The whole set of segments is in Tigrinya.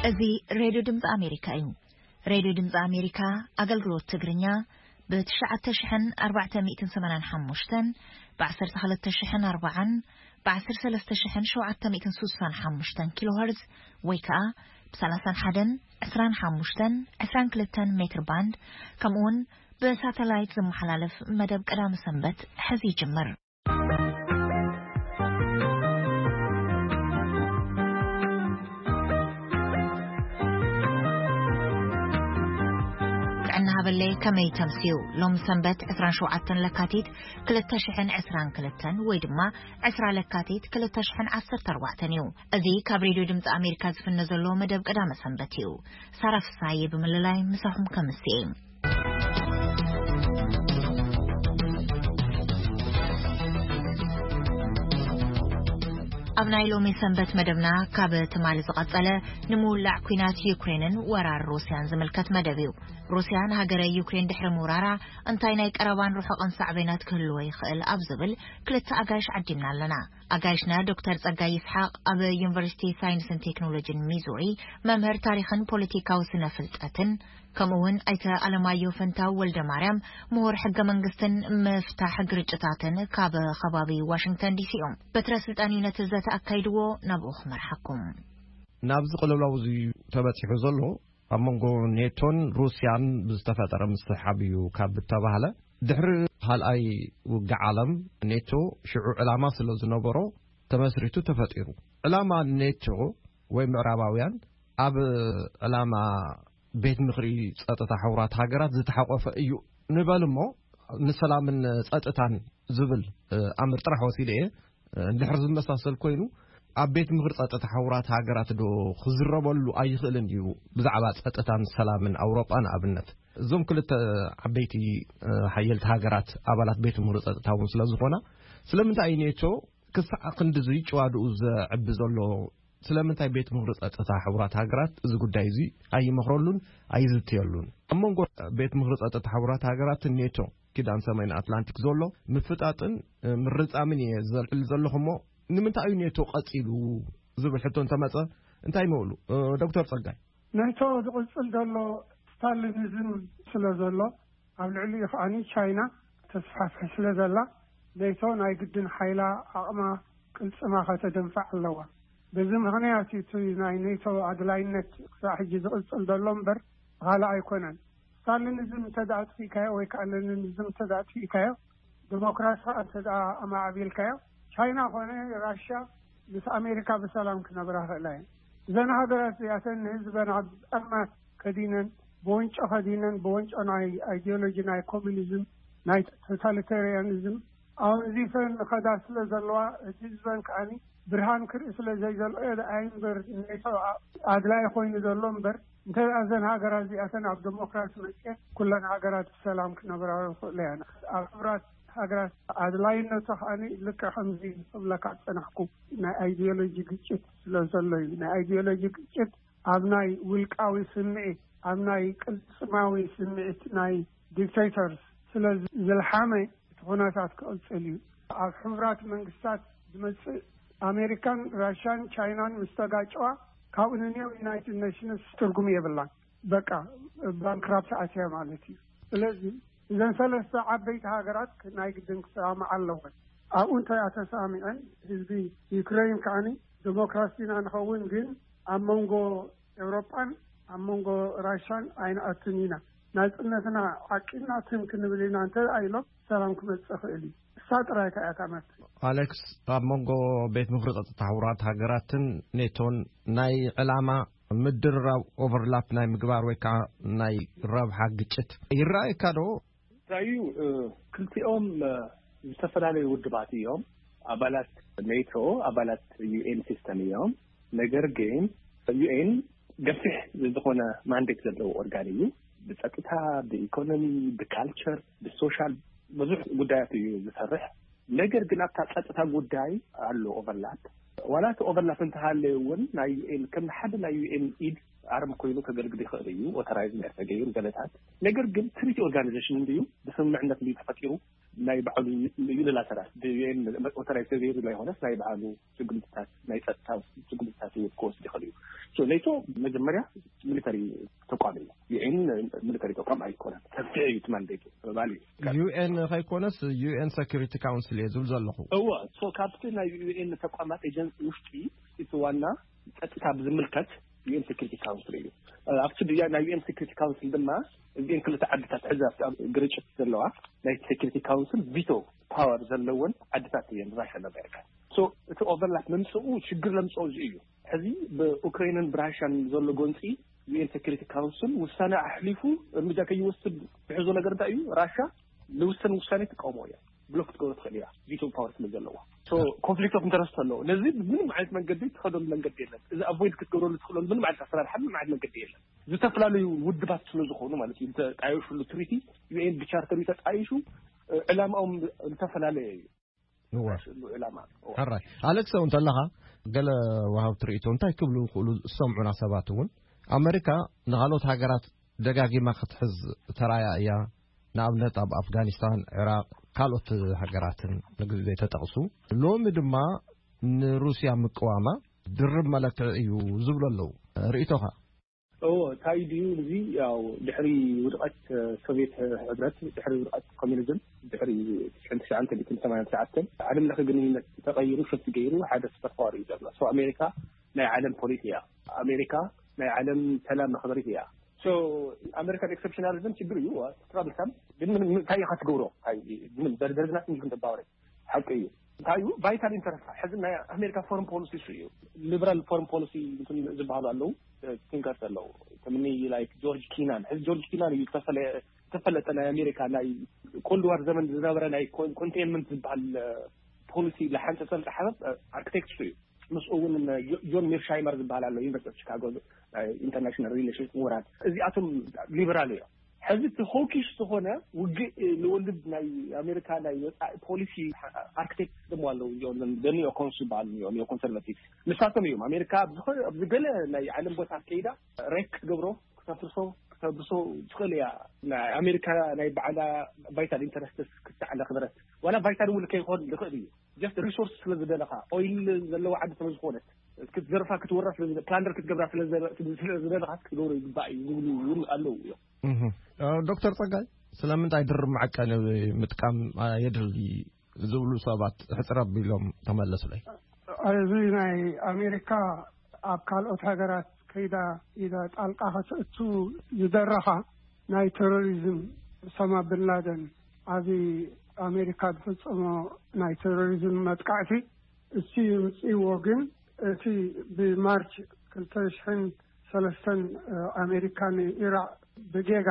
እዚ ሬድዮ ድምፂ ኣሜሪካ እዩ። ሬድዮ ድምፂ ኣሜሪካ ኣገልግሎት ትግርኛ ብ ትሽዓተ ሽሕን ኣርባዕተ ሚእትን ሰማንያን ሓሙሽተን፣ ብ ዓሰርተ ክልተ ሽሕን ኣርባዓን፣ ብ ዓሰርተ ሰለስተ ሽሕን ሸውዓተ ሚእትን ስሳን ሓሙሽተን ኪሎ ሄርዝ ወይ ከዓ ብ ሰላሳን ሓደን፣ ዕስራን ሓሙሽተን፣ ዕስራን ክልተን ሜትር ባንድ፣ ከምኡውን ብሳተላይት ዝመሓላለፍ መደብ ቀዳመ ሰንበት ሕዚ ይጅምር። ጥዕና ሃበለይ፣ ከመይ ተምስዩ? ሎም ሰንበት ዕስራን ሸውዓተን ለካቲት ክልተ ሽሕን ዕስራን ክልተን ወይ ድማ ዕስራ ለካቲት ክልተ ሽሕን ዓሰርተ ኣርባዕተን እዩ። እዚ ካብ ሬድዮ ድምፂ ኣሜሪካ ዝፍነ ዘሎ መደብ ቀዳመ ሰንበት እዩ። ሳራ ፍሳዬ ብምልላይ ምሳኹም ከምስየ። ኣብ ናይ ሎሚ ሰንበት መደብና ካብ ትማሊ ዝቐጸለ ንምውላዕ ኲናት ዩክሬንን ወራር ሩስያን ዝምልከት መደብ እዩ። ሩስያ ንሃገረ ዩክሬን ድሕሪ ምውራራ እንታይ ናይ ቀረባን ርሑቕን ሳዕቤናት ክህልዎ ይኽእል ኣብ ዝብል ክልተ ኣጋይሽ ዓዲምና ኣለና። ኣጋይሽና ዶክተር ጸጋይ ይስሓቕ ኣብ ዩኒቨርሲቲ ሳይንስን ቴክኖሎጂን ሚዙሪ መምህር ታሪኽን ፖለቲካዊ ስነ ፍልጠትን፣ ከምኡ እውን ኣይተ ኣለማየሁ ፈንታው ወልደ ማርያም ምሁር ሕገ መንግስትን ምፍታሕ ግርጭታትን ካብ ከባቢ ዋሽንግተን ዲሲ እዮም። በትረ ስልጣን እዩ ነቲ ዘተ ኣካይድዎ፣ ናብኡ ክመርሓኩም። ናብዚ ቅልውላው እዚ ተበጺሑ ዘሎ ኣብ መንጎ ኔቶን ሩስያን ብዝተፈጠረ ምስሕሓብ እዩ ካብ እተባህለ፣ ድሕሪ ካልኣይ ውግእ ዓለም ኔቶ ሽዑ ዕላማ ስለ ዝነበሮ ተመስሪቱ ተፈጢሩ። ዕላማ ኔቶ ወይ ምዕራባውያን ኣብ ዕላማ ቤት ምኽሪ ጸጥታ ሕቡራት ሃገራት ዝተሓቆፈ እዩ ንበል እሞ፣ ንሰላምን ጸጥታን ዝብል ኣምር ጥራሕ ወሲደ እየ። እንድሕር ዝመሳሰል ኮይኑ፣ ኣብ ቤት ምኽሪ ጸጥታ ሕቡራት ሃገራት ዶ ክዝረበሉ ኣይኽእልን ድዩ? ብዛዕባ ጸጥታን ሰላምን ኣውሮጳ ንኣብነት፣ እዞም ክልተ ዓበይቲ ሓየልቲ ሃገራት ኣባላት ቤት ምኽሪ ጸጥታ እውን ስለ ዝኾና፣ ስለምንታይ እዩ ኔቶ ክሳዕ ክንድዚ ጭዋድኡ ዘዕቢ ዘሎ? ስለምንታይ ቤት ምኽሪ ጸጥታ ሕቡራት ሃገራት እዚ ጉዳይ እዚ ኣይመኽረሉን ኣይዝትየሉን? ኣብ መንጎ ቤት ምኽሪ ጸጥታ ሕቡራት ሃገራትን ኔቶ ኪዳን ሰሜን ኣትላንቲክ ዘሎ ምፍጣጥን ምርጻምን እየ ዘልዕል ዘለኹ እሞ፣ ንምንታይ እዩ ኔቶ ቀጺሉ ዝብል ሕቶ እንተመጸ እንታይ ምብሉ? ዶክተር ጸጋይ። ኔቶ ዝቕጽል ዘሎ ስታሊኒዝም ስለ ዘሎ፣ ኣብ ልዕሊኡ ከዓኒ ቻይና ተስፋፍሕ ስለ ዘላ፣ ኔቶ ናይ ግድን ሓይላ፣ ዓቕማ፣ ቅልጽማ ከተደንፍዕ ኣለዋ። በዚ ምኽንያት እዩ እቲ ናይ ኔቶ ኣድላይነት ክሳዕ ሕጂ ዝቕጽል ዘሎ እምበር፣ ካልእ ኣይኮነን። ስታሊኒዝም እንተ ደኣ ኣጥፊእካዮ ወይ ከዓ ለኒኒዝም እንተ ደኣ ኣጥፊእካዮ፣ ዲሞክራሲ ከዓ እንተ ደኣ ኣማዕቢልካዮ፣ ቻይና ኮነ ራሽያ ምስ ኣሜሪካ ብሰላም ክነብራ ክእላ እየን። እዘን ሃገራት እዚኣተን ንህዝበን ኣብ ጸልማት ከዲነን፣ ብወንጮ ከዲነን፣ ብወንጮ ናይ ኣይዲዮሎጂ ናይ ኮሚኒዝም፣ ናይ ቶታሊታሪያኒዝም ኣወንዚፈን ንኸዳ ስለ ዘለዋ፣ እቲ ህዝበን ከዓኒ ብርሃን ክርኢ ስለ ዘይዘልኦ ደኣ እምበር፣ ኔቶ ኣድላይ ኮይኑ ዘሎ እምበር፣ እንተ ደኣ እዘን ሃገራት እዚኣተን ኣብ ዲሞክራሲ መጽየን፣ ኩለን ሃገራት ብሰላም ክነብራ ይኽእላ እየን። ኣብ ሕቡራት ሃገራት ኣድላይነቱ ከዓኒ ልክዕ ከምዚ ክብለካ ዝጸናሕኩ ናይ ኣይዲዮሎጂ ግጭት ስለ ዘሎ እዩ። ናይ ኣይዲዮሎጂ ግጭት ኣብ ናይ ውልቃዊ ስምዒት፣ ኣብ ናይ ቅልጽማዊ ስምዒት ናይ ዲክቴተርስ ስለ ዝልሓመ፣ እቲ ኩነታት ክቕጽል እዩ። ኣብ ሕቡራት መንግስታት ዝመጽእ፣ ኣሜሪካን ራሽያን ቻይናን ምስ ተጋጨዋ፣ ካብኡ ንንየው ዩናይትድ ኔሽንስ ትርጉም የብላን። በቃ፣ ባንክራፕት ኣትያ ማለት እዩ። ስለዚ እዘን ሰለስተ ዓበይቲ ሃገራት ናይ ግድን ክሰማምዓ ኣለወን። ኣብኡ እንተ ተሰማሚዐን፣ ህዝቢ ዩክሬን ከዓኒ ዲሞክራሲ ኢና ንኸውን፣ ግን ኣብ መንጎ ኤውሮጳን ኣብ መንጎ ራሻን ኣይንኣቱን ኢና። ናጽነትና ዓቂብና ትም ክንብል ኢና እንተ ኢሎም፣ ሰላም ክመጽእ ይኽእል እዩ። እሳ ጥራይ እታ እያ እታ መፍትሒ። ኣሌክስ፣ ኣብ መንጎ ቤት ምኽሪ ጸጥታ ሕቡራት ሃገራትን ኔቶን ናይ ዕላማ ምድርራብ፣ ኦቨርላፕ ናይ ምግባር ወይ ከዓ ናይ ረብሓ ግጭት ይረኣየካ ዶ? ራዩ፣ እ፣ ክልቲኦም፣ እ፣ ዝተፈላለዩ ውድባት እዮም። ኣባላት ኔቶ፣ ኣባላት ዩ ኤን ሲስተም እዮም። ነገር ግን ዩ ኤን ገፊሕ ዝኾነ ማንዴት ዘለዎ ኦርጋን እዩ። ብጸጥታ፣ ብኢኮኖሚ፣ ብካልቸር፣ ብሶሻል ብዙሕ ጉዳያት እዩ ዝሰርሕ። ነገር ግን ኣብታ ጸጥታ ጉዳይ ኣሎ ኦቨርላፕ። ዋላ እቲ ኦቨርላፕ እንተሃለየ እውን ናይ ዩ ኤን ከም ሓደ ናይ ዩ ኤን ኢድ ኣርም ኮይኑ ከገልግል ይኽእል እዩ፣ ኦተራይዝ ናይ ተገይሩ ገለታት። ነገር ግን ትሪቲ ኦርጋናይዜሽን እንድዩ ብስምምዕነት እንድዩ ተፈጢሩ፣ ናይ ባዕሉ ዩኒላተራል ብዩኤን ኦተራይዝ ተገይሩ ዘይኮነስ ናይ ባዕሉ ስጉምትታት፣ ናይ ጸጥታ ስጉምትታት እውን ክወስድ ይኽእል እዩ። ሶ ኔቶ መጀመርያ ሚሊተሪ ተቋም እዩ። ዩኤን ሚሊተሪ ተቋም ኣይኮነን። ሰፊሕ እዩ እቲ ማንዴቱ ማለት እዩ። ዩኤን ከይኮነስ ዩኤን ሰኪሪቲ ካውንስል እየ ዝብል ዘለኹ። እወ፣ ሶ ካብቲ ናይ ዩኤን ተቋማት ኤጀንሲ ውሽጢ እቲ ዋና ጸጥታ ብዝምልከት ዩኤን ሴኩሪቲ ካውንስል እዩ። ኣብቲ ብያ ናይ ዩኤን ሴኩሪቲ ካውንስል ድማ እዚኤን ክልተ ዓድታት ሕዚ ኣብቲ ኣብ ግርጭት ዘለዋ ናይ ሴኩሪቲ ካውንስል ቪቶ ፓወር ዘለወን ዓድታት እየን፣ ራሽያን ኣሜሪካ። ሶ እቲ ኦቨርላፕ መምፅኡ ሽግር ለምፅኦ እዚ እዩ። ሕዚ ብኡክሬንን ብራሽያን ዘሎ ጎንፂ ዩኤን ሴኩሪቲ ካውንስል ውሳነ ኣሕሊፉ እርምጃ ከይወስድ ዝሕዞ ነገር እንታይ እዩ? ራሻ ንውሰን ውሳኔ ትቃውሞ እያ፣ ብሎክ ክትገብሮ ትኽእል እያ፣ ቪቶ ፓወር ስለ ዘለዋ። ኮንፍሊክት ኦፍ ኢንተረስት ኣለዎ። ነዚ ምንም ዓይነት መንገዲ ትኸደሉ መንገዲ የለን። እዚ ኣቮይድ ክትገብረሉ ትኽእለሉ ምንም ዓይነት ኣሰራርሓ ምንም ዓይነት መንገዲ የለን። ዝተፈላለዩ ውድባት ስለ ዝኾኑ ማለት እዩ፣ ዝተጣየሹሉ ትሪቲ ዩኤን ብቻርተር እዩ ተጣይሹ። ዕላማኦም ዝተፈላለየ እዩ። እወ። ስሉ ዕላማ ሕራይ ኣሌክስ፣ እንተለኻ ገለ ወሃብቲ ርእይቶ እንታይ ክብሉ ክእሉ ዝሰምዑና ሰባት እውን፣ ኣመሪካ ንኻልኦት ሃገራት ደጋጊማ ክትሕዝ ተራያ እያ። ንኣብነት ኣብ ኣፍጋኒስታን፣ ዒራቕ፣ ካልኦት ሃገራትን ንግዜ ዘይተጠቕሱ። ሎሚ ድማ ንሩስያ ምቅዋማ ድርብ መለክዒ እዩ ዝብሉ ኣለዉ። ርእይቶኻ? እዎ፣ እንታይ ድዩ እዚ? ያው ድሕሪ ውድቐት ሶቪየት ሕብረት፣ ድሕሪ ውድቐት ኮሚኒዝም፣ ድሕሪ ሽሕን ትሽዓን ሚእትን ሰማንያን ትሽዓተን ዓለም ለኸ ግንኙነት ተቐይሩ፣ ሽፍት ገይሩ ሓደ ሱፐር ፓወር እዩ ዘሎ። ሶ ኣሜሪካ ናይ ዓለም ፖሊስ እያ። ኣሜሪካ ናይ ዓለም ሰላም መኽበሪት እያ። ሶ ኣሜሪካን ኤክሰፕሽናሊዝም ችግር እዩ፣ ትራብል ሳም ግን ምን እንታይ ኢኻ ትገብሮ? እንታይ ምን በርደርዝና ትንሽ ተባወረ ሓቂ እዩ። እንታይ እዩ ቫይታል ኢንተረስት? ሕዚ ናይ ኣሜሪካ ፎረን ፖሊሲ እሱ እዩ። ሊበራል ፎረን ፖሊሲ እንትን ዝበሃሉ ኣለዉ፣ ቲንከርስ ኣለዉ። ከምኒ ላይክ ጆርጅ ኪናን። ሕዚ ጆርጅ ኪናን እዩ ዝተፈለ-፣ ዝተፈለጠ ናይ ኣሜሪካ ናይ ኮልድ ዋር ዘመን ዝነበረ ናይ ኮን-፣ ኮንቴንመንት ዝበሃል ፖሊሲ ዝሓንጸጸን ዝሓበ ኣርክቴክት እሱ እዩ። ምስኡ እውን ጆ-፣ ጆን ሚርሻይመር ዝበሃል ኣሎ፣ ዩኒቨርሲቲ ኦፍ ቺካጎ ኢንተርናሽናል ሪሌሽንስ ምሁራት። እዚኣቶም ሊበራል እዮም። ሕዚ እቲ ሆኪሽ ዝኾነ ውግእ ንወልድ ናይ ኣሜሪካ ናይ ወፃኢ ፖሊሲ ኣርክቴክት ድማ ኣለዉ። እዚኦም ኒዮ ኮንስ ዝበሃሉ እዮም፣ ኒዮ ኮንሰርቫቲቭ። ንሳቶም እዮም ኣሜሪካ ኣብ ዝኾነ፣ ኣብዚ ገለ ናይ ዓለም ቦታ ከይዳ ሬክ ክትገብሮ፣ ክተፍርሶ፣ ክተብርሶ ትኽእል እያ። ናይ ኣሜሪካ ናይ ባዕላ ቫይታል ኢንተረስትስ ክትዓለ ክበረት፣ ዋላ ቫይታል እውን ከይኾን ይኽእል እዩ። ጀስት ሪሶርስ ስለ ዝደለኻ፣ ኦይል ዘለዎ ዓዲ ስለ ዝኾነት፣ ክትዘርፋ ክትወራ ስለ ዝደ-፣ ፕላንደር ክትገብራ ስለ ዝደ-፣ ስለ ዝደለኻ ክትገብሮ ይግባእ እዩ ዝብሉ እውን ኣለዉ እዮም። እህ። እ፣ ዶክተር ጸጋይ፣ ስለምንታይ ድርብ መዐቀኒ ምጥቃም የድሊ ዝብሉ ሰባት ሕጽር ኣቢሎም ተመለሱለይ። እዚ ናይ ኣሜሪካ ኣብ ካልኦት ሃገራት ከይዳ ኢዳ ጣልቃ ከተእቱ ዝደረኻ ናይ ቴሮሪዝም፣ ኡሳማ ብን ላደን፣ ኣብዚ ኣሜሪካ ዝፈጸሞ ናይ ቴሮሪዝም መጥቃዕቲ፣ እሱ ይምጽእዎ። ግን እቲ ብማርች ክልተ ሽሕን ሰለስተን ኣሜሪካ ንኢራቅ ብጌጋ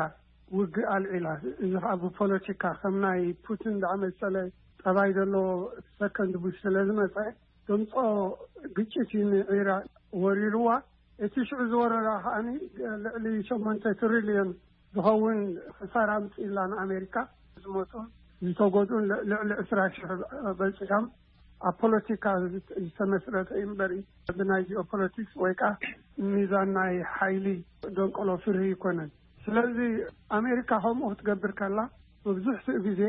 ውግእ ኣልዒላ። እዚ ከዓ ብፖለቲካ ከም ናይ ፑቲን ዝኣመሰለ ጠባይ ዘለዎ ሰከንድ ቡሽ ስለ ዝመፀ፣ ድምፆ ግጭት እዩ ንዒራቅ ወሪርዋ። እቲ ሽዑ ዝወረራ ከዓኒ ልዕሊ ሸሞንተ ትሪልዮን ዝኸውን ክሳራ ኣምፅእላ ንኣሜሪካ። ዝሞቱን ዝተጎድኡን ል-፣ ልዕሊ ዕስራ ሽሕ በፂሖም። ኣብ ፖለቲካ ዝት-፣ ዝተመስረተ እዩ እምበር፣ ብናይ ጂኦፖለቲክስ ወይ ከዓ ሚዛን ናይ ሓይሊ ደንቆሎ ፍርሂ ይኮነን። ስለዚ ኣሜሪካ ከምኡ ክትገብር ከላ፣ መብዝሕትኡ ግዜ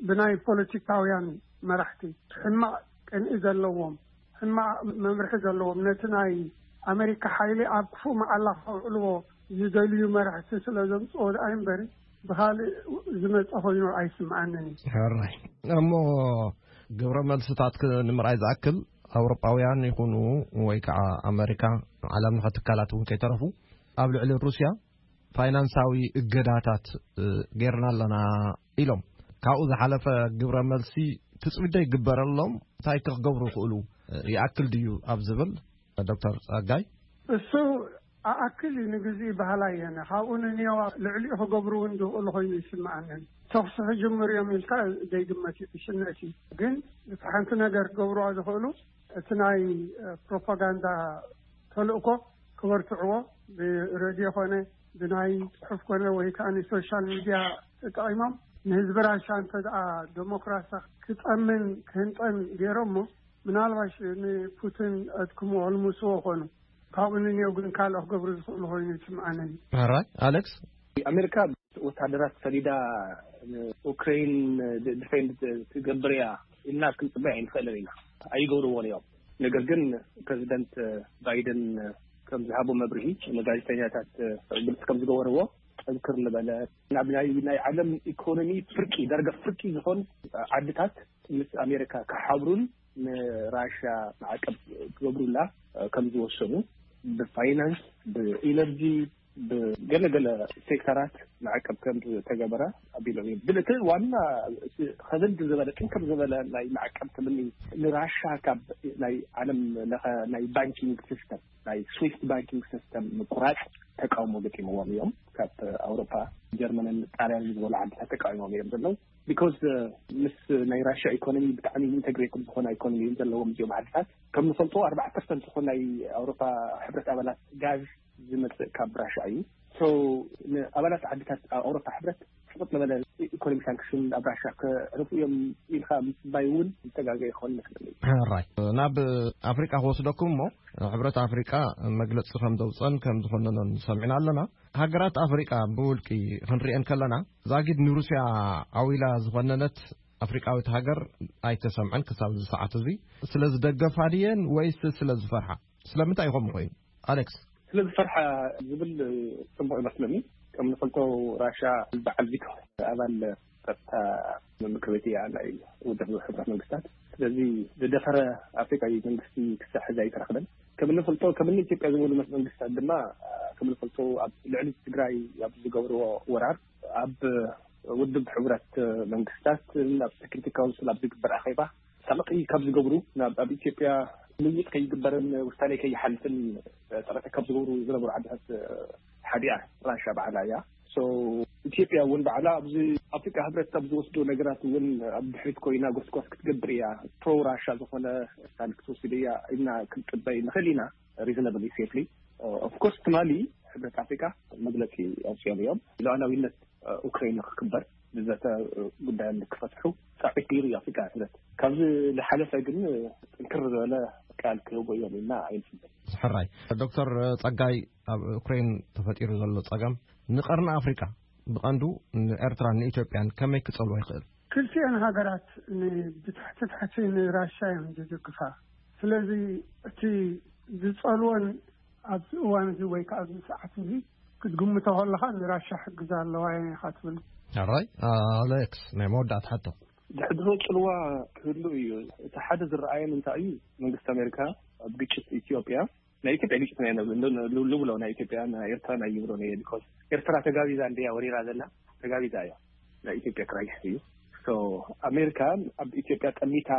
ብናይ ፖለቲካውያን መራሕቲ፣ ሕማቕ ቅንኢ ዘለዎም፣ ሕማቕ መምርሒ ዘለዎም፣ ነቲ ናይ ኣሜሪካ ሓይሊ ኣብ ክፉእ መዓላ ከውዕልዎ ዝደልዩ መራሕቲ ስለ ዘምፅኦ ደኣ እምበሪ፣ ብኻልእ ዝመፀ ኮይኑ ኣይስምዓንን እዩ። ሕራይ። እሞ ግብረ መልስታት ክ-፣ ንምርኣይ ዝኣክል፣ ኣውሮጳውያን ይኹኑ ወይ ከዓ ኣመሪካ፣ ዓለም ለኸ ትካላት እውን ከይተረፉ፣ ኣብ ልዕሊ ሩስያ ፋይናንሳዊ እገዳታት፣ እ፣ ጌርና ኣለና ኢሎም። ካብኡ ዝሓለፈ ግብረ መልሲ ትጽቢት ዶ ይግበረሎም? እንታይ ክገብሩ ይኽእሉ? እ፣ ይኣክል ድዩ ኣብ ዝብል፣ ዶክተር ጸጋይ? እሱ ኣኣክል እዩ፣ ንግዜ ባህላ እየነ። ካብኡ ንንየዋ ልዕሊኡ ክገብሩ እውን ዝኽእሉ ኮይኑ ይስምዓንን። ተኹሲ ክጅምሩ እዮም ኢልካ ዘይግመት እዩ፣ ዕሽነት እዩ። ግን እቲ ሓንቲ ነገር ክገብሩዋ ዝኽእሉ፣ እቲ ናይ፣ እ፣ ፕሮፓጋንዳ ተልእኮ ክበርትዕዎ፣ ብሬድዮ ኮነ ብናይ ጽሑፍ ኮነ ወይ ከዓ ንሶሻል ሚድያ ተጠቒሞም ንህዝቢ ራሻ እንተ ደኣ ዴሞክራሲ ክጠምን ክህንጠን ገይሮሞ፣ ምናልባሽ ንፑቲን ኣድክሞ ኣልሙስዎ ኮኑ። ካብኡ ንንየው ግን ካልኦ ክገብሩ ዝኽእሉ ኮይኑ ይስምዓኒ። ሕራይ ኣሌክስ። ኣሜሪካ ወታደራት ሰዲዳ ንኡክሬን ዲፌንድ ትገብር እያ ኢልና ክንፅበይ ኣይንኽእልን ኢና። ኣይገብርዎን እዮም። ነገር ግን ፕሬዚደንት ባይደን ከም ዝሃቦ መብርሂ ንጋዜጠኛታት ግልፂ ከም ዝገበርዎ፣ ጠንክር ዝበለ ናብ ናይ ናይ ዓለም ኢኮኖሚ ፍርቂ፣ ዳርጋ ፍርቂ ዝኾን ዓድታት ምስ ኣሜሪካ ክሓብሩን ንራሻ ማዕቀብ ክገብሩላ ከም ዝወሰኑ፣ ብፋይናንስ፣ ብኢነርጂ፣ ብገለገለ ሴክተራት ማዕቀብ ከም ዝተገበረ ኣቢሎም እዮም። ግን እቲ ዋና ከበድ ዝበለ፣ ጥንክር ዝበለ ናይ ማዕቀብ ትምኒ ንራሻ ካብ ናይ ዓለም ለኸ ናይ ባንኪንግ ሲስተም፣ ናይ ስዊፍት ባንኪንግ ሲስተም ምቁራፅ ተቃውሞ ገጢምዎም እዮም ካብ ኣውሮፓ፣ ጀርመንን ጣልያንን ዝበሉ ዓድታት ተቃዊሞም እዮም ዘለዉ። ቢኮዝ ምስ ናይ ራሽያ ኢኮኖሚ ብጣዕሚ ኢንተግሬትድ ዝኾነ ኢኮኖሚ እዮም ዘለዎም እዚኦም ዓድታት። ከም ንፈልጦ ኣርባዓ ፐርሰንት ዝኾን ናይ ኣውሮፓ ሕብረት ኣባላት ጋዝ ዝመፅእ ካብ ራሽያ እዩ። ሶ ንኣባላት ዓድታት ኣውሮፓ ሕብረት ስቕጥ ዝበለ ኢኮኖሚ ሳንክሽን ኣብ ራሽያ ከዕርፉ እዮም ኢልካ ምፅባይ እውን ዝተጋገ ይኸውን ይመስለኒ። ሕራይ ናብ ኣፍሪቃ ክወስደኩም እሞ፣ ሕብረት ኣፍሪቃ መግለፂ ከም ዘውፀን ከም ዝኮነኖን ሰሚዕና ኣለና። ሃገራት ኣፍሪቃ ብውልቂ ክንሪኤን ከለና፣ ዛጊድ ንሩስያ ዓዊላ ዝኮነነት ኣፍሪቃዊት ሃገር ኣይተሰምዐን ክሳብ እዚ ሰዓት እዚ። ስለ ዝደገፋ ድየን ወይስ ስለ ዝፈርሓ? ስለምንታይ ይኸውን ኮይኑ? ኣሌክስ። ስለ ዝፈርሓ ዝብል ጽቡቕ ይመስለኒ። ከም ንፈልጦ፣ ራሻ በዓል ቪቶ ኣባል ጸጥታ ምክር ቤት እያ፣ ናይ ውድብ ሕብረት መንግስታት። ስለዚ ዝደፈረ ኣፍሪቃዊ መንግስቲ ክሳብ ሕዚ ኣይተረኽበን። ከም እንፈልጦ፣ ከም እኒ ኢትዮጵያ ዝበሉ መስ-፣ መንግስታት ድማ፣ ከም እንፈልጦ፣ ኣብ ልዕሊ ትግራይ ኣብ ዝገብርዎ ወራር፣ ኣብ ውድብ ሕቡራት መንግስታት፣ ኣብ ሴኩሪቲ ካውንስል ኣብ ዝግበር ኣኼባ፣ ሳልቂ ካብ ዝገብሩ፣ ናብ፣ ኣብ ኢትዮጵያ ምይይጥ ከይግበርን ውሳኔ ከይሓልፍን ጥረት ካብ ዝገብሩ ዝነበሩ ዓድታት ሓዲኣ ራሻ ባዕላ እያ። ሶ፣ ኢትዮጵያ እውን ባዕላ ኣብዚ ኣፍሪቃ ህብረት ኣብ ዝወስዶ ነገራት እውን ኣብ ድሕሪት ኮይና ጎስጓስ ክትገብር እያ። ፕሮ ራሻ ዝኾነ ስታንድ ክትወስድ እያ ኢልና ክንጥበይ ንኽእል ኢና፣ ሪዝነብሊ፣ ሴፍሊ። ኦፍ ኮርስ፣ ትማሊ ሕብረት ኣፍሪቃ መግለጺ ኣውፅኦም እዮም። ሉዓላዊነት ኡክራይን ክክበር፣ ብዘተ ጉዳይ ክፈትሑ ፃዕሪት ገይሩ እዩ ኣፍሪቃ ሕብረት። ካብዚ ዝሓለፈ ግን ጥንክር ዝበለ ቃል ክህቡ እዮም ኢልና ኣይንፅበ። ሕራይ። ዶክተር ጸጋይ፣ ኣብ ኡክሬን ተፈጢሩ ዘሎ ጸገም ንቀርኒ ኣፍሪቃ፣ ብቐንዱ ንኤርትራን ንኢትዮጵያን ከመይ ክጸልዎ ይኽእል? ክልቲኤን ሃገራት ን-፣ ብታሕቲ ታሕቲ ንራሻ እዮም ዝድግፋ። ስለዚ እቲ ዝጸልወን ኣብዚ እዋን እዚ ወይ ከዓ ኣብዚ ሰዓት እዚ ክትግምቶ ከለኻ ንራሻ ሕግዛ ኣለዋ እየን ኢኻ ትብል። ሕራይ። ኣሌክስ፣ ናይ መወዳእታ ሕቶ። ድሕድሮ ጽልዋ ክህሉ እዩ። እቲ ሓደ ዝረኣየን እንታይ እዩ፣ መንግስቲ ኣሜሪካ ኣብ ግጭት ኢትዮጵያ፣ ናይ ኢትዮጵያ ግጭት ናይ፣ ን-፣ ን-፣ ንብሎ፣ ናይ ኢትዮጵያ፣ ናይ ኤርትራ ናይ ይብሎ ናይ፣ ቢኮዝ ኤርትራ ተጋቢዛ እንድያ ወሪራ ዘላ፣ ተጋቢዛ እያ። ናይ ኢትዮጵያ ክራይሲስ እዩ። ሶ፣ ኣሜሪካ ኣብ ኢትዮጵያ ጠሚታ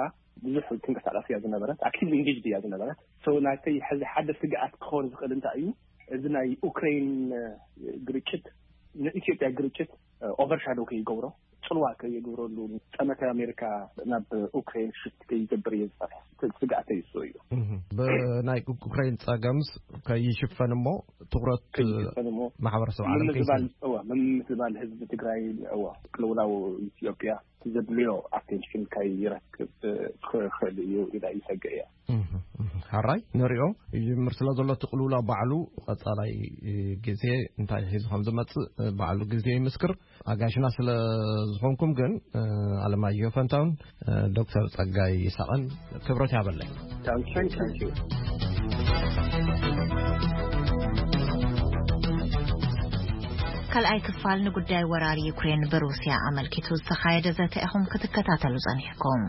ብዙሕ ትንቀሳቐስ እያ ዝነበረት፣ ኣክቲቭሊ ኢንጌጅድ እያ ዝነበረት። ሶ፣ ናተይ ሕዚ ሓደ ስግኣት ክኸውን ዝኽእል እንታይ እዩ፣ እዚ ናይ ኡክሬን ግርጭት ንኢትዮጵያ ግርጭት ኦቨርሻዶ ከይገብሮ፣ ጽልዋ ከይገብረሉ፣ ጠመተ ኣሜሪካ ናብ ኡክሬን ሽፍት ከይገብር እየ ዝፈርሕ። ስግኣተይ እሱ እዩ። እህ፣ ብናይ ኡክሬን ጸገምስ ከይሽፈን እሞ ትኹረት ከይሽፈን እሞ ማሕበረሰብ ዓለም ምምዝባል፣ ከይስብ። እወ፣ ምምዝባል ህዝቢ ትግራይ፣ እወ፣ ቅልውላው ኢትዮጵያ ዘድልዮ ኣቴንሽን ከይረክብ ክኽእል እዩ ኢላ ይሰግእ እያ። እህ፣ እህ። ሓራይ ንሪኦ ይጅምር ስለ ዘሎ እቲ ቅልውላው ባዕሉ ቀጻላይ ግዜ እንታይ ሒዙ ከም ዝመጽእ ባዕሉ ግዜ ይምስክር። ኣጋሽና ስለ ዝኾንኩም ግን፣ ኣለማየሁ ፈንታውን ዶክተር ጸጋይ ይስሓቕን ክብረት ያበለይ። ታንኪዩ፣ ታንኪዩ። ካልኣይ ክፋል ንጉዳይ ወራር ዩክሬን ብሩስያ ኣመልኪቱ ዝተኻየደ ዘተ ኢኹም ክትከታተሉ ጸኒሕኩም።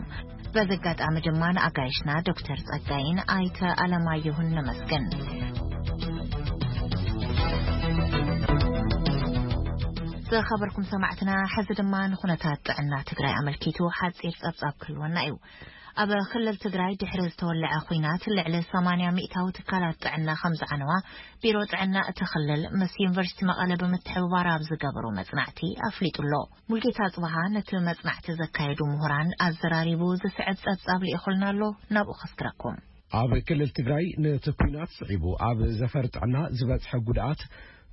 በዚ ኣጋጣሚ ድማ ንኣጋይሽና ዶክተር ጸጋይን ኣይተ ኣለማየሁን ነመስግን። ዝኸበርኩም ሰማዕትና፣ ሕዚ ድማ ንኹነታት ጥዕና ትግራይ ኣመልኪቱ ሓጺር ጸብጻብ ክህልወና እዩ። ኣብ ክልል ትግራይ ድሕሪ ዝተወለዐ ኹናት ልዕሊ ሰማንያ ሚእታዊ ትካላት ጥዕና ከም ዝዓነዋ ቢሮ ጥዕና እቲ ክልል ምስ ዩኒቨርሲቲ መቐለ ብምትሕብባር ኣብ ዝገበሮ መጽናዕቲ ኣፍሊጡ ኣሎ። ሙልጌታ ጽባሃ ነቲ መጽናዕቲ ዘካየዱ ምሁራን ኣዘራሪቡ ዝስዕብ ጸብጻብ ልኢኹልና ኣሎ፣ ናብኡ ከስግረኩም። ኣብ ክልል ትግራይ ነቲ ኲናት ስዒቡ ኣብ ዘፈር ጥዕና ዝበጽሐ ጉድኣት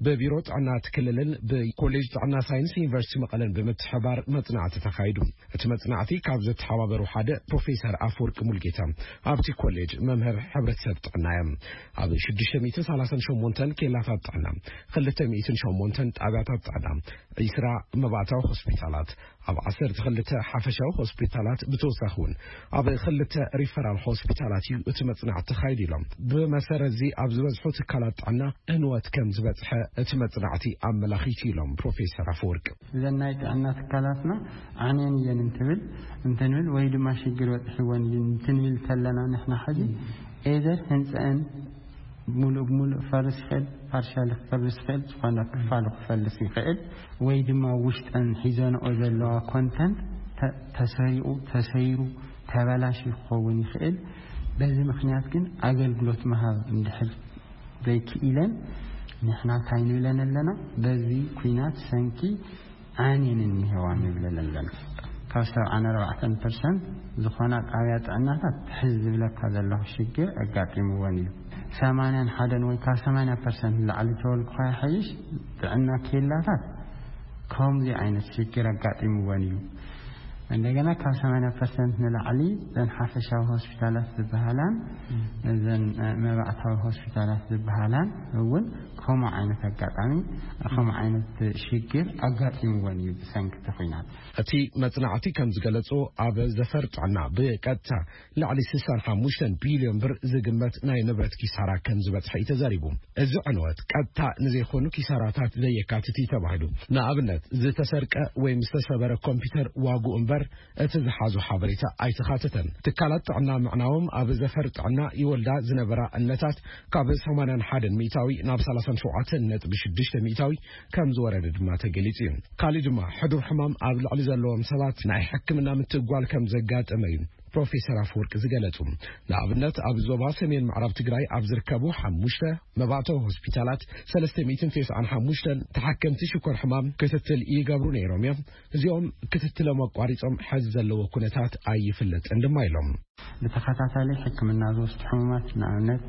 ብቢሮ ጥዕና እቲ ክልልን ብኮሌጅ ጥዕና ሳይንስ ዩኒቨርሲቲ መቐለን ብምትሕባር መጽናዕቲ ተኻይዱ። እቲ መጽናዕቲ ካብ ዘተሓባበሩ ሓደ ፕሮፌሰር ኣፈወርቂ ሙልጌታ፣ ኣብቲ ኮሌጅ መምህር ሕብረተሰብ ጥዕና እዮም። ኣብ ሽዱሽተ ሚእትን ሰላሳን ሸሞንተን ኬላታት ጥዕና፣ ክልተ ሚእትን ሸሞንተን ጣብያታት ጥዕና፣ ዒስራ መባእታዊ ሆስፒታላት፣ ኣብ ዓሰርተ ክልተ ሓፈሻዊ ሆስፒታላት፣ ብተወሳኺ እውን ኣብ ክልተ ሪፈራል ሆስፒታላት እዩ እቲ መጽናዕቲ ተኻይዱ ኢሎም። ብመሰረት እዚ ኣብ ዝበዝሑ ትካላት ጥዕና ዕንወት ከም ዝበጽሐ እቲ መጽናዕቲ ኣመላኺቱ ኢሎም ፕሮፌሰር ኣፈወርቂ። እዘን ናይ ጥዕና ትካላትና ዓንየን እየን እንትብል፣ እንትንብል ወይ ድማ ሽግር በጽሕወን እዩ እንትንብል ከለና ንሕና ሕዚ ኤዘር ህንፀአን ሙሉእ ብሙሉእ ክፈርስ ይኽእል፣ ፓርሻሊ ክፈርስ ይኽእል፣ ዝኾነ ክፋሉ ክፈልስ ይኽእል፣ ወይ ድማ ውሽጠን ሒዘንኦ ዘለዋ ኮንተንት ተ-፣ ተሰሪቑ፣ ተሰይሩ፣ ተበላሽ ክኸውን ይኽእል። በዚ ምኽንያት ግን ኣገልግሎት ምሃብ እንድሕር ዘይክኢለን ንሕና እንታይ ንብለን ኣለና? በዚ ኲናት ሰንኪ ዓንየን እኒሄዋ ንብለን ኣለና። ካብ ሰብዓን ኣርባዕተን ፐርሰንት ዝኾና ጣብያ ጥዕናታት ትሕዚ ዝብለካ ዘለኹ ሽግር ኣጋጢምወን እዩ። ሰማንያን ሓደን ወይ ካብ ሰማንያ ፐርሰንት ንላዕሊ ተወልኩኻ ይሓይሽ ጥዕና ኬላታት ከምዚ ዓይነት ሽግር ኣጋጢምወን እዩ። እንደገና ካብ ሰማንያ ፐርሰንት ንላዕሊ እዘን ሓፈሻዊ ሆስፒታላት ዝበሃላን እዘን፣ እ፣ መባእታዊ ሆስፒታላት ዝበሃላን እውን ከምኡ ዓይነት ኣጋጣሚ፣ ከምኡ ዓይነት ሽግር ኣጋጢምወን እዩ ብሰንኪ እቲ ኲናት። እቲ መጽናዕቲ ከም ዝገለጾ፣ ኣብ ዘፈር ጥዕና ብቀጥታ ልዕሊ ስሳን ሓሙሽተን ቢልዮን ብር ዝግመት ናይ ንብረት ኪሳራ ከም ዝበጽሐ እዩ ተዛሪቡ። እዚ ዕንወት ቀጥታ ንዘይኮኑ ኪሳራታት ዘየካትት እዩ ተባሂሉ። ንኣብነት፣ ዝተሰርቀ ወይም ዝተሰበረ ኮምፒውተር ዋግኡ እምበር እቲ ዝሓዞ ሓበሬታ ኣይተኻተተን። ትካላት ጥዕና ምዕናዎም ኣብ ዘፈር ጥዕና ይወልዳ ዝነበራ እነታት ካብ ሰማንያን ሓደን ሚእታዊ ናብ ሰላሳን ሸውዓተን ነጥቢ ሽዱሽተ ሚእታዊ ከም ዝወረደ ድማ ተገሊጹ እዩ። ካልእ ድማ ሕዱር ሕማም ኣብ ልዕሊ ዘለዎም ሰባት ናይ ሕክምና ምትጓል ከም ዘጋጠመ እዩ ፕሮፌሰር ኣፈወርቂ ዝገለጹ። ንኣብነት፣ ኣብ ዞባ ሰሜን ምዕራብ ትግራይ ኣብ ዝርከቡ ሓሙሽተ መባእታዊ ሆስፒታላት ሰለስተ ሚእትን ተስዓን ሓሙሽተን ተሓከምቲ ሽኮር ሕማም ክትትል ይገብሩ ነይሮም እዮም። እዚኦም ክትትሎም ኣቋሪጾም ሕዚ ዘለዎ ኩነታት ኣይፍለጥን ድማ ኢሎም። ብተኸታታሊ ሕክምና ዝወስዱ ሕሙማት፣ ንኣብነት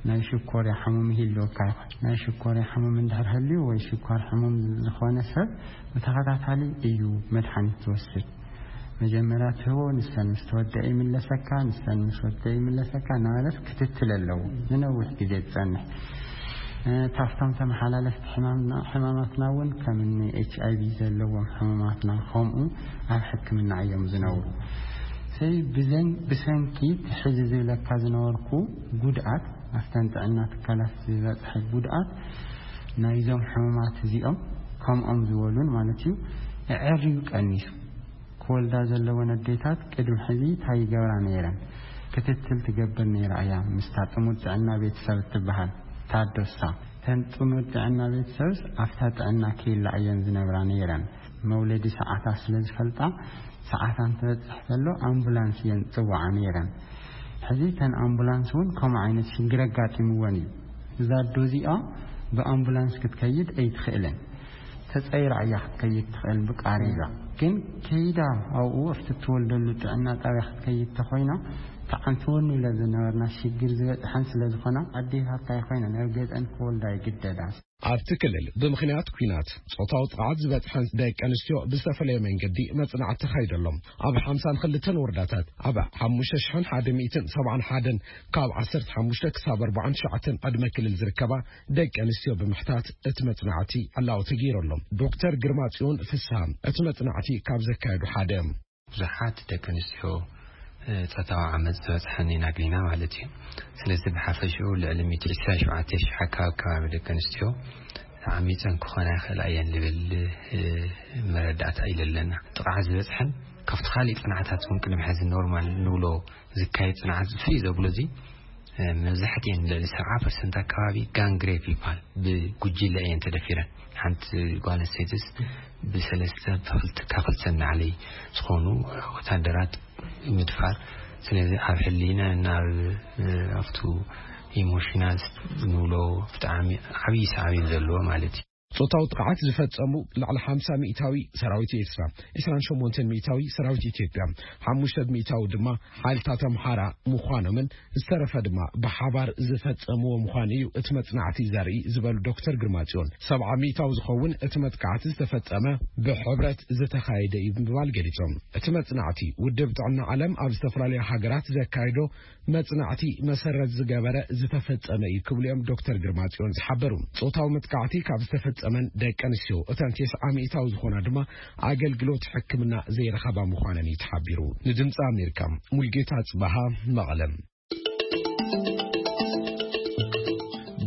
ናይ ሽኮርያ ሕሙም ይህልወካ ይኾን። ናይ ሽኮርያ ሕሙም እንድሕር ህልዩ ወይ ሽኮር ሕሙም ዝኾነ ሰብ ብተኸታታሊ እዩ መድሓኒት ዝወስድ። መጀመርያ ትህቦ፣ ንሰን ምስ ተወደአ ይምለሰካ፣ ንሰን ምስ ወደአ ይምለሰካ እናበለት ክትትል ኣለዎ። ንነዊሕ ግዜ ዝጸንሕ። እ፣ ካብቶም ተመሓላለፍቲ ሕማምና-፣ ሕማማትና እውን ከም እኒ ኤች ኣይ ቪ ዘለዎም ሕሙማትና ከምኡ ኣብ ሕክምና እዮም ዝነብሩ። ሰይ ብዘን-፣ ብሰንኪ እቲ ሕዚ ዝብለካ ዝነበርኩ ጉድኣት፣ ኣብተን ጥዕና ትካላት ዝበፅሐ ጉድኣት ናይዞም ሕሙማት እዚኦም ከምኦም ዝበሉን ማለት እዩ፣ ኣዐርዩ ቀኒሱ። ክወልዳ ዘለወን ኣዴታት ቅድሚ ሕዚ እንታይ ይገብራ ነይረን? ክትትል ትገብር ነይራ እያ ምስታ ጥሙር ጥዕና ቤተሰብ እትበሃል ታዶሳ። እተን ጥሙር ጥዕና ቤተሰብስ ኣብታ ጥዕና ኬላ እየን ዝነብራ ነይረን። መውለዲ ሰዓታት ስለ ዝፈልጣ፣ ሰዓታን ትበጽሕ ከሎ ኣምቡላንስ እየን ዝጽውዓ ነይረን። ሕዚ እተን ኣምቡላንስ እውን ከምኡ ዓይነት ሽግር ኣጋጢምወን እዩ። እዛ ኣዶ እዚኣ ብኣምቡላንስ ክትከይድ ኣይትኽእልን። ተጸይራ እያ ክትከይድ ትኽእል ብቃሬዛ። ግን ከይዳ ኣብኡ ኣብቲ እትወልደሉ ጥዕና ጣብያ ክትከይድ ተኾይና፣ ተዓንትወን ኢለ ዝነበርና ሽግር ዝበጽሐን ስለ ዝኾና፣ ኣዴታታ ይኾይነን ኣብ ገጠን ክወልዳ ይግደዳ። ኣብቲ ክልል ብምኽንያት ኲናት ጾታዊ ጥቕዓት ዝበጽሐን ደቂ ኣንስትዮ ብዝተፈለየ መንገዲ መጽናዕቲ ተኻይደሎም። ኣብ ሓምሳን ክልተን ወረዳታት ኣብ ሓሙሽተ ሽሕን ሓደ ሚእትን ሰብዓን ሓደን ካብ ዓሰርተ ሓሙሽተ ክሳብ ኣርባዓን ትሽዓተን ዕድመ ክልል ዝርከባ ደቂ ኣንስትዮ ብምሕታት እቲ መጽናዕቲ ዕላዊ ተገይረሎም። ዶክተር ግርማ ጽዮን ፍስሃ እቲ መጽናዕቲ ካብ ዘካየዱ ሓደ። ብዙሓት ደቂ ኣንስትዮ፣ እ፣ ጾታዊ ዓመጽ ዝበጽሐን ኢና ገይና ማለት እዩ። ስለዚ ብሓፈሽኡ ልዕሊ ሚእቲ ዕስራን ሸውዓተን ሽሕ ኣካባቢ፣ ከባቢ ደቂ ኣንስትዮ ዓሚጸን ክኾና ይኽእላ እየን ዝብል፣ እ፣ መረዳእታ እዩ ዘለና። ጥቕዓት ዝበጽሐን ካብቲ ካልእ ጽንዓታት እውን ቅድሚ ሕዚ ኖርማል ንብሎ ዝካየድ ጽንዓት ፍልይ ዘብሎ እዚ፣ እ፣ መብዛሕትኤን ልዕሊ ሰብዓ ፐርሰንት ኣካባቢ ጋንግ ሬፕ ይበሃል። ብጉጅለ እየን ተደፊረን። ሓንቲ ጓል ኣንስተይትስ ብሰለስተ፣ ብኽልተ፣ ካብ ክልተ ንላዕሊ ዝኾኑ ወታደራት ምድፋር። ስለዚ ኣብ ሕሊና፣ ናብ፣ እ፣ ኣብቱ ኢሞሽናል ንብሎ ብጣዕሚ ዓብዪ ሳዕቤን ዘለዎ ማለት እዩ። ጾታዊ ጥቕዓት ዝፈጸሙ ልዕሊ ሓምሳ ሚእታዊ ሰራዊት ኤርትራ፣ ዕስራን ሸሞንተን ሚእታዊ ሰራዊት ኢትዮጵያ፣ ሓሙሽተ ሚእታዊ ድማ ሓይልታት ኣምሓራ ምዃኖምን ዝተረፈ ድማ ብሓባር ዝፈጸምዎ ምዃኑ እዩ እቲ መጽናዕቲ ዘርኢ ዝበሉ ዶክተር ግርማጽዮን፣ ሰብዓ ሚእታዊ ዝኸውን እቲ መጥቃዕቲ ዝተፈጸመ ብሕብረት ዝተኻየደ እዩ ብምባል ገሊጾም። እቲ መጽናዕቲ ውድብ ጥዕና ዓለም ኣብ ዝተፈላለዩ ሃገራት ዘካየዶ መጽናዕቲ መሰረት ዝገበረ ዝተፈጸመ እዩ ክብሉ እዮም ዶክተር ግርማጽዮን ዝሓበሩ። ጾታዊ መጥቃዕቲ ካብ ዝተፈጸመን ደቂ ኣንስትዮ እተን ተስዓ ሚእታዊ ዝኾና ድማ ኣገልግሎት ሕክምና ዘይረኸባ ምዃነን እዩ ተሓቢሩ። ንድምፂ ኣሜሪካ ሙልጌታ ጽባሃ መቐለም።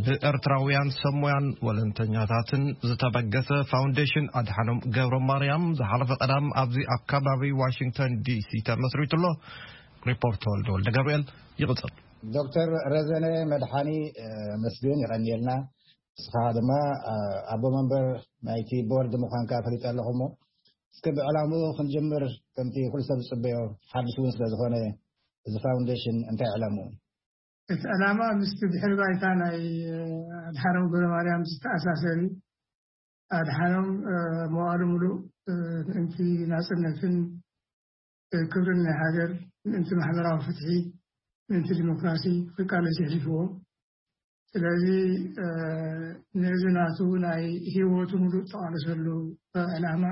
ብኤርትራውያን ሰብ ሞያን ወለንተኛታትን ዝተበገሰ ፋውንዴሽን ኣድሓኖም ገብረ ማርያም ዝሓለፈ ቀዳም ኣብዚ ኣብ ከባቢ ዋሽንግተን ዲሲ ተመስሪቱ ኣሎ። ሪፖርት ተወልደ ወልደ ገብርኤል ይቕጽል። ዶክተር ረዘነ መድሓኒ፣ እ፣ መስግን ይቐንየልና። ንስኻ ድማ፣ እ፣ ኣቦ መንበር ናይቲ ቦርድ ምዃንካ ፈሊጠ ኣለኹ እሞ፣ እስከ ብዕላምኡ ክንጅምር፣ ከምቲ ኩሉ ሰብ ዝጽበዮ፣ ሓድሽ እውን ስለ ዝኾነ፣ እዚ ፋውንዴሽን እንታይ ዕላምኡ? እቲ ዕላማ ምስቲ ድሕሪ ባይታ ናይ፣ እ፣ ኣድሓኖም ገብረ ማርያም ዝተኣሳሰር እዩ። ኣድሓኖም፣ እ፣ መዋእሉ ሙሉእ፣ እ፣ ምእንቲ ናጽነትን፣ እ፣ ክብርን ናይ ሃገር፣ ምእንቲ ማሕበራዊ ፍትሒ፣ ምእንቲ ዲሞክራሲ ክቃለስ የሕሊፍዎ። ስለዚ፣ እ፣ ነዚ ናቱ ናይ ህይወቱ ሙሉእ ዝተቓለሰሉ ዕላማ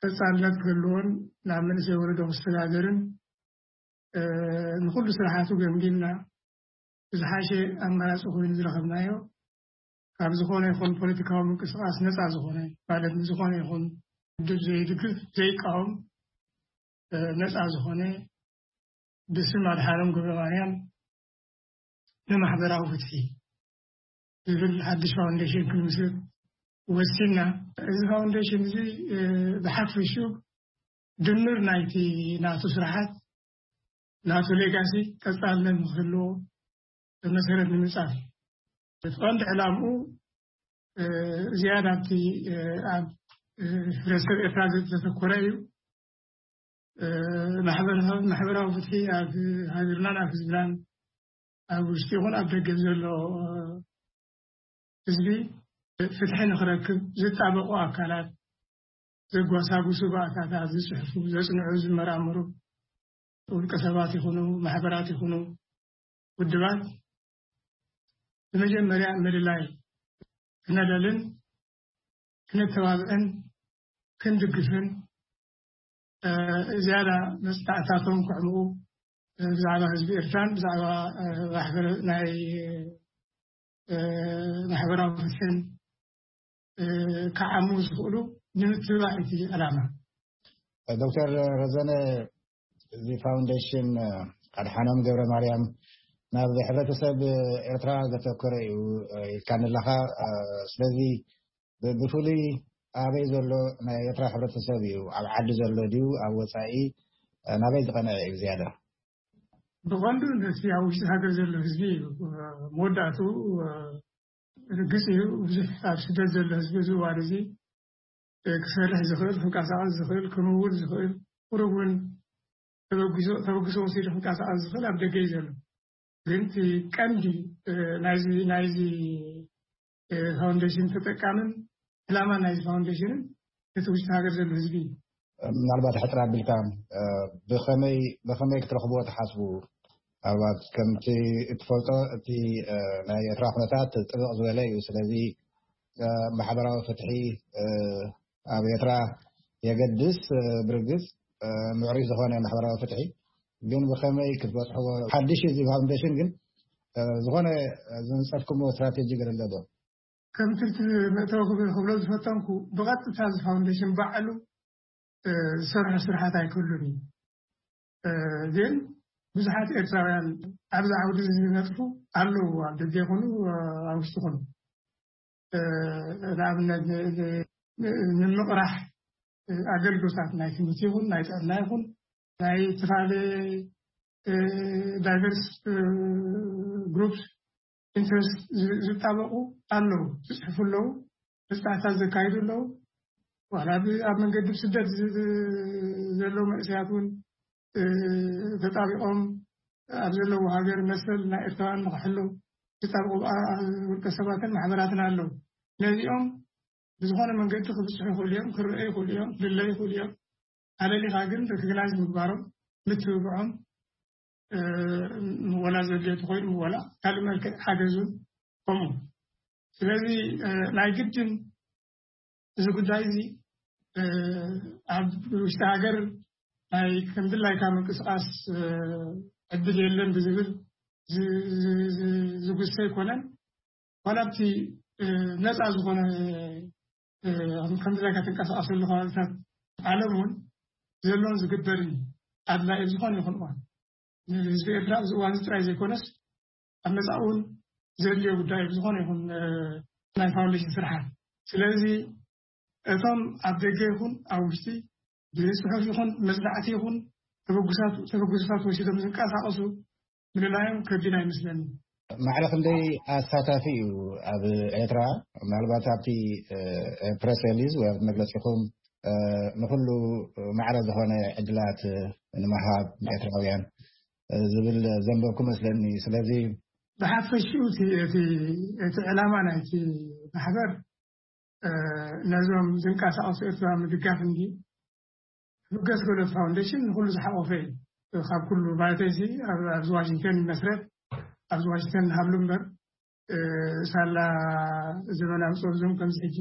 ቀጻልነት ክህልዎን ናብ መንእሰይ ወለዶ ክሰጋገርን፣ እ፣ ንኹሉ ስራሓቱ ገምጊምና ብዝሓሸ ኣማራጺ ኮይኑ ዝረኸብናዮ፣ ካብ ዝኾነ ይኹን ፖለቲካዊ ምንቅስቓስ ነጻ ዝኾነ፣ ማለት ንዝኾነ ይኹን ውድብ ዘይድግፍ፣ ዘይቃወም፣ እ፣ ነጻ ዝኾነ፣ ብስም ኣድሓኖም ገብረ ማርያም ንማሕበራዊ ፍትሒ ዝብል ሓድሽ ፋውንዴሽን ክንምስርት ወሲንና። እዚ ፋውንዴሽን እዚ፣ እ፣ ብሓፈሽኡ ድምር ናይቲ ናቱ ስራሓት፣ ናቱ ሌጋሲ ቀጻልነት ንክህልዎ መሰረት ንምንጻፍ እዩ። እቲ ቀንዲ ዕላምኡ፣ እ፣ ዝያዳ ኣብቲ፣ እ፣ ኣብ፣ እ፣ ሕብረተሰብ ኤርትራ ዘተኮረ እዩ። እ፣ ማሕበረሰብ፣ ማሕበራዊ ፍትሒ ኣብ ሃገርናን ኣብ ህዝብናን፣ ኣብ ውሽጢ ይኹን ኣብ ደገ ዘሎ፣ እ፣ ህዝቢ ፍትሒ ንኽረክብ ዝጣበቑ ኣካላት፣ ዘጓሳጉሱ ባእታታት ዝጽሕፉ፣ ዘጽንዑ፣ ዝመራመሩ፣ ውልቀ ሰባት ይኹኑ፣ ማሕበራት ይኹኑ፣ ውድባት፣ ብመጀመርያ ምልላይ ክነለልን ክነተባብዕን ክንድግፍን፣ እ፣ ዝያዳ መጽናዕታቶም ከዕምቑ፣ እ፣ ብዛዕባ ህዝቢ ኤርትራን ብዛዕባ፣ እ፣ ማሕበረ-፣ ናይ፣ እ፣ ማሕበራዊ ፍትሕን፣ እ፣ ክዓሙ ዝኽእሉ ንምትብባዕ እቲ ዕላማ። ዶክተር ረዘነ፣ እዚ ፋውንዴሽን፣ እ፣ ኣድሓኖም ገብረ ማርያም ናብ ሕብረተሰብ ኤርትራ ዘተኮረ እዩ፣ እ፣ ኢልካኒ ኣለኻ። እ፣ ስለዚ ብ-፣ ብፍሉይ ኣበይ ዘሎ ናይ ኤርትራ ሕብረተሰብ እዩ? ኣብ ዓዲ ዘሎ ድዩ? ኣብ ወጻኢ፣ እ፣ ናበይ ዝቐንዐ እዩ ዝያዳ? ብቐንዱ ነቲ ኣብ ውሽጢ ሃገር ዘሎ ህዝቢ እዩ። እ፣ መወዳእቱ፣ እ፣ ርግጽ እዩ፣ ብዙሕ ኣብ ስደት ዘሎ ህዝቢ እዚ እዋን እዚ፣ እ፣ ክሰርሕ ዝኽእል፣ ክንቀሳቐስ ዝኽእል፣ ክምውል ዝኽእል፣ ቁሩብ እውን ተበግሶ፣ ተበግሶ ወሲዱ ክንቀሳቐስ ዝኽእል ኣብ ደገ እዩ ዘሎ። ግን እቲ ቀንዲ፣ እ፣ ናይዚ፣ ናይቲ፣ እ፣ ፋውንዴሽን ተጠቃምን ዕላማ ናይዚ ፋውንዴሽንን እቲ ውሽጢ ሃገር ዘሎ ህዝቢ እዩ። ምናልባት ሕጽር ኣቢልካ፣ እ፣ ብኸመይ፣ ብኸመይ ክትረኽብዎ ትሓስቡ? ምናልባት ከምቲ እትፈልጦ፣ እቲ፣ እ፣ ናይ ኤርትራ ኩነታት ጥብቕ ዝበለ እዩ። ስለዚ፣ እ፣ ማሕበራዊ ፍትሒ፣ እ፣ ኣብ ኤርትራ የገድስ፣ እ፣ ብርግጽ፣ እ፣ ምዕሩይ ዝኾነ ማሕበራዊ ፍትሒ፣ ግን ብኸመይ ክትበጽሕዎ? ሓድሽ እዚ ፋውንዴሽን ግን፣ እ፣ ዝኾነ ዝነጸፍኩምዎ ስትራቴጂ ገለ ኣሎ ዶ? ከም ትልቲ መእተዊ ክብል ክብሎ ዝፈተንኩ፣ ብቐጥታ እዚ ፋውንዴሽን ባዕሉ፣ እ፣ ዝሰርሖ ስራሓት ኣይክህሉን እዩ። እ፣ ግን ብዙሓት ኤርትራውያን ኣብዚ ዓውዲ እዚ ዝነጥፉ ኣለዉ፣ ኣብ ደገ ይኹኑ፣ እ፣ ኣብ ውሽጢ ይኹኑ። እ፣ ንኣብነት ን-፣ ን-፣ ን-፣ ንምቕራሕ፣ እ፣ ኣገልግሎታት ናይ ትምህርቲ ይኹን ናይ ጥዕና ይኹን ናይ ዝተፈላለየ፣ እ፣ ዳይቨርስ፣ እ፣ ግሩፕስ ኢንትረስት ዝ-፣ ዝጣበቑ ኣለዉ፣ ዝጽሕፉ ኣለዉ፣ መጽናዕታት ዘካይዱ ኣለዉ። ዋላ ብ-፣ ኣብ መንገዲ ብስደት ዝ-፣ ዝ-፣ ዘለዉ መንእሰያት እውን፣ እ፣ ተጣቢቖም ኣብ ዘለዉ ሃገር መሰል ናይ ኤርትራውያን ንኽሕሉ ዝጣበቑ፣ ኣ-፣ ውልቀ ሰባትን ማሕበራትን ኣለዉ። ነዚኦም ብዝኾነ መንገዲ ክብፅሑ ይኽእሉ እዮም፣ ክረኣዩ ይኽእሉ እዮም፣ ክልለዩ ይኽእሉ እዮም። ኣለሊኻ ግን ሪኮግናይዝ ምግባሮም፣ ምትብብዖም፣ ወላ ዘድልዮ ተኾይኑ፣ ወላ ካልእ መልክዕ ሓገዙን ከምኡ። ስለዚ ናይ ግድን እዚ ጉዳይ እዚ ኣብ ውሽጢ ሃገር ናይ ከምድላይካ ምንቅስቃስ ዕድል የለን ብዝብል ዝጉሰ ኣይኮነን። ዋላ ኣብቲ ነፃ ዝኾነ ከምድላይካ ትንቀሳቀሰሉ ከባቢታት ዓለም እውን ዘሎን ዝግበርን ኣድላይ ዝኾነ ይኹን እዋን ንህዝቢ ኤርትራ ኣብዚ እዋን እዚ ጥራይ ዘይኮነስ ኣብ መጻእ እውን ዘድልዮ ጉዳይ ዝኾነ ይኹን ናይ ፋውንዴሽን ስርሓት። ስለዚ እቶም ኣብ ደገ ይኹን ኣብ ውሽጢ ብፅሑፍ ይኹን መፅናዕቲ ይኹን ተበጉሳት ወሲዶም ዝንቀሳቀሱ ምልላዮም ከቢድ ኣይመስለኒ። ማዕረ ክንደይ ኣሳታፊ እዩ ኣብ ኤርትራ? ምናልባት ኣብቲ ፕረስ ሪሊዝ ወይ መግለፂኹም ንኩሉ ማዕረ ዝኾነ ዕድላት ንምሃብ ኤርትራውያን ዝብል ዘንበብኩ መስለኒ። ስለዚ ብሓፈሽኡ እቲ ዕላማ ናይቲ ማሕበር ነዞም ዝንቀሳቀሱ ኤርትራውያን ምድጋፍ እንዲ ብገስ ገሎ ፋውንዴሽን ንኩሉ ዝሓቆፈ እዩ። ካብ ኩሉ ማለተይሲ ኣብዚ ዋሽንግተን ይመስረት፣ ኣብዚ ዋሽንግተን ንሃብሉ እምበር ሳላ ዘመናዊ ፀብዞም ከምዚ ሕጂ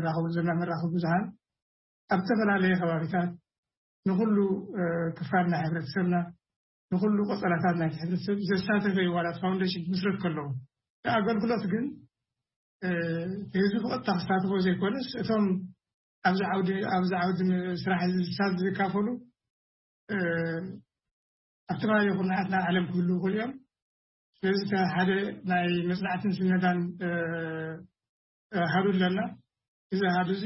ራኸቡ ዘለና መራኸቢ ብዙሃን ኣብ ዝተፈላለየ ከባቢታት ንኩሉ ክፋል ናይ ሕብረተሰብና ንኩሉ ቆፀራታት ናይቲ ሕብረተሰብ ዘሳተፈ ዋላ ፋውንዴሽን ክምስረት ከለዉ ኣገልግሎት ግን ህዝቢ ብቐጥታ ክሳተፎ ዘይኮነስ እቶም ኣብዚ ዓውዲ ኣብዚ ዓውዲ ስራሕ ዝሳት ዝካፈሉ ኣብ ተፈላለዩ ኩርናዓት ናይ ዓለም ክህልዉ ይኽእሉ እዮም። ስለዚ ሓደ ናይ መፅናዕትን ስነዳን ሃዱ ኣለና። እዚ ሃዱ እዚ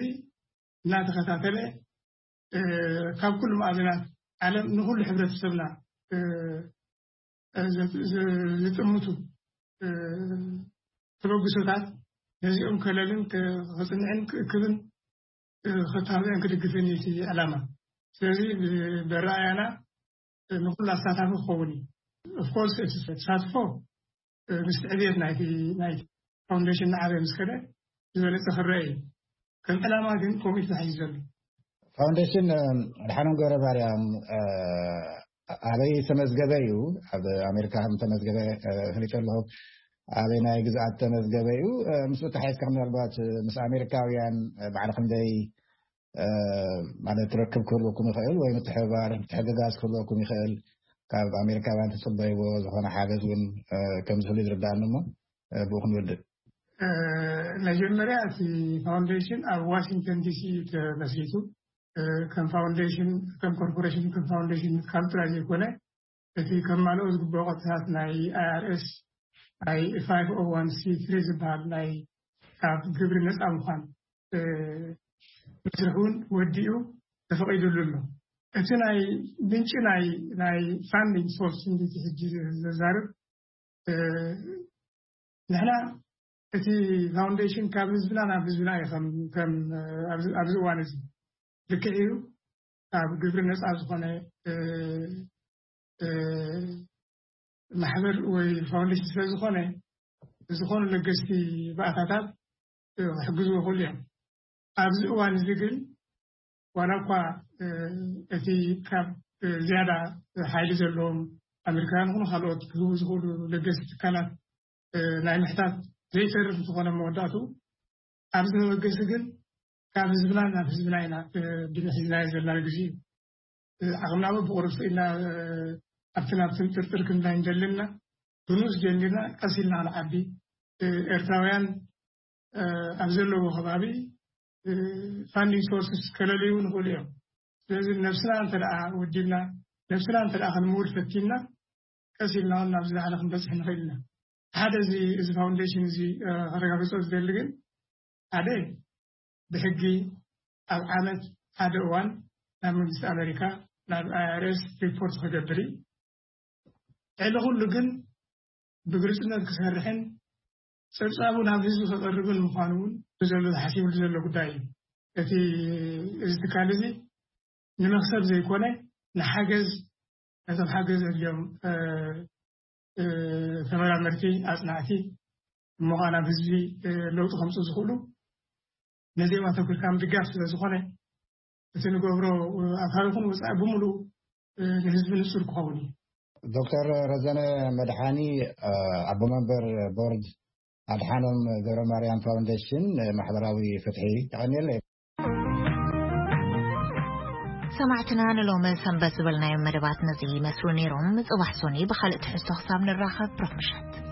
እናተኸታተለ ካብ ኩሉ ማእዝናት ዓለም ንኩሉ ሕብረተሰብና ዝጥምቱ ተበግሶታት ነዚኦም ከለልን ክፅንዕን ክእክብን ክታብዕን ክድግፍን እቲ ዕላማ። ስለዚ ብረኣያና ንኩሉ ኣሳታፊ ክኸውን እዩ። ኦፍኮርስ እቲ ተሳትፎ ምስ ዕብየት ናይቲ ናይቲ ፋውንዴሽን ንዓበ ምስ ከደ ዝበለፀ ክረአ እዩ። ከም ዕላማ ግን ከምኡ እዩ ተታሒዙ ዘሎ። ፋውንዴሽን ኣድሓኖም ገብረ ማርያም ኣበይ ተመዝገበ እዩ? ኣብ ኣሜሪካ ከም ተመዝገበ ፍሊጠ ኣለኹ። ኣበይ ናይ ግዝኣት ተመዝገበ እዩ? ምስ ተሓይዝካ ምናልባት ምስ ኣሜሪካውያን ባዕሊ ክንደይ ማለት ርክብ ክህልወኩም ይኽእል ወይ ምትሕብባር ምትሕግጋዝ ክህልወኩም ይኽእል? ካብ ኣሜሪካውያን ትፅበይዎ ዝኾነ ሓገዝ እውን ከም ዝህሉ ዝርዳእኒ እሞ ብኡ ክንውድእ። መጀመርያ እቲ ፋውንዴሽን ኣብ ዋሽንግተን ዲሲ እዩ ተመስሪቱ። ከም ፋውንዴሽን ከም ኮርፖሬሽን ከም ፋውንዴሽን ካብ ጥራይ ዘይኮነ እቲ ከማልኦ ዝግብኦ ቅጥታት ናይ ኣይኣርኤስ ናይ ፋይቭ ኦ ዋን ሲ ትሪ ዝበሃል ናይ ካብ ግብሪ ነፃ ምዃን መስርሕ እውን ወዲኡ ተፈቒዱሉ ኣሎ። እቲ ናይ ምንጪ ናይ ናይ ፋንዲንግ ሶርስ እንዲቲ ሕጂ ዘዛርብ ንሕና እቲ ፋውንዴሽን ካብ ህዝብና ናብ ህዝብና እዩ ኣብዚ እዋን እዚ ልክዕ እዩ። ካብ ግብሪ ነፃ ዝኾነ ማሕበር ወይ ፋውንዴሽን ስለዝኾነ ዝኾኑ ለገስቲ ባእታታት ክሕግዝዎ ይኽእሉ እዮም። ኣብዚ እዋን እዚ ግን ዋላ እኳ እቲ ካብ ዝያዳ ሓይሊ ዘለዎም ኣሜሪካውያን ይኹኑ ካልኦት ክህቡ ዝኽእሉ ለገስቲ ትካላት ናይ ምሕታት ዘይተርፍ እንተኾነ መወዳእቱ ኣብዚ መበገሲ ግን ካብ ህዝብና ናብ ህዝብና ኢና ድንሒዝናዮ ዘለና ግዜ እዩ። ዓቕምና በብቑርብቲ ኢና ኣብቲ ናብቲ ጥርጥር ክንዳይ እንደለና ብንኡስ ጀሚርና ቀስ ኢልና ክንዓቢ ኤርትራውያን ኣብ ዘለዎ ከባቢ ፋንዲንግ ሶርስስ ከለልዩ ንኽእሉ እዮም። ስለዚ ነብስና እንተ ደኣ ወዲብና ነብስና እንተ ደኣ ክንምውድ ፈቲንና ቀስ ኢልና እውን ናብዚ ላዕሊ ክንበፅሕ ንኽእል ኢና። ሓደ እዚ እዚ ፋውንዴሽን እዚ ከረጋግፆ ዝደሊ ግን ሓደ ብሕጊ ኣብ ዓመት ሓደ እዋን ናብ መንግስቲ ኣሜሪካ ናብ ኣይኣርኤስ ሪፖርት ክገብር እዩ። ልዕሊ ኩሉ ግን ብግልፅነት ክሰርሕን ፀብፃቡ ናብ ህዝቢ ከቐርብን ምዃኑ እውን ብዘሎ ተሓሲብሉ ዘሎ ጉዳይ እዩ። እቲ እዚ ትካል እዚ ንመክሰብ ዘይኮነ ንሓገዝ ነቶም ሓገዝ ዘድልዮም ተመራመርቲ ኣፅናዕቲ እሞ ከዓ ናብ ህዝቢ ለውጢ ከምፁ ዝኽእሉ ነዚኦም ኣተኩርካ ምድጋፍ ስለ ዝኾነ፣ እቲ ንገብሮ ኣታዊ ይኹን ወፃኢ ብምሉእ ንህዝቢ ንፁር ክኸውን እዩ። ዶክተር ረዘነ መድሓኒ፣ ኣቦ መንበር ቦርድ ኣድሓኖም ገብረ ማርያም ፋውንዴሽን ማሕበራዊ ፍትሒ፣ የቐንየለይ። ሰማዕትና፣ ንሎሚ ሰንበት ዝበልናዮም መደባት ነዚ ይመስሉ ነይሮም። ጽባሕ ሶኒ ብኻልእ ትሕዝቶ ክሳብ ንራኸብ፣ ብሩኽ ምሸት።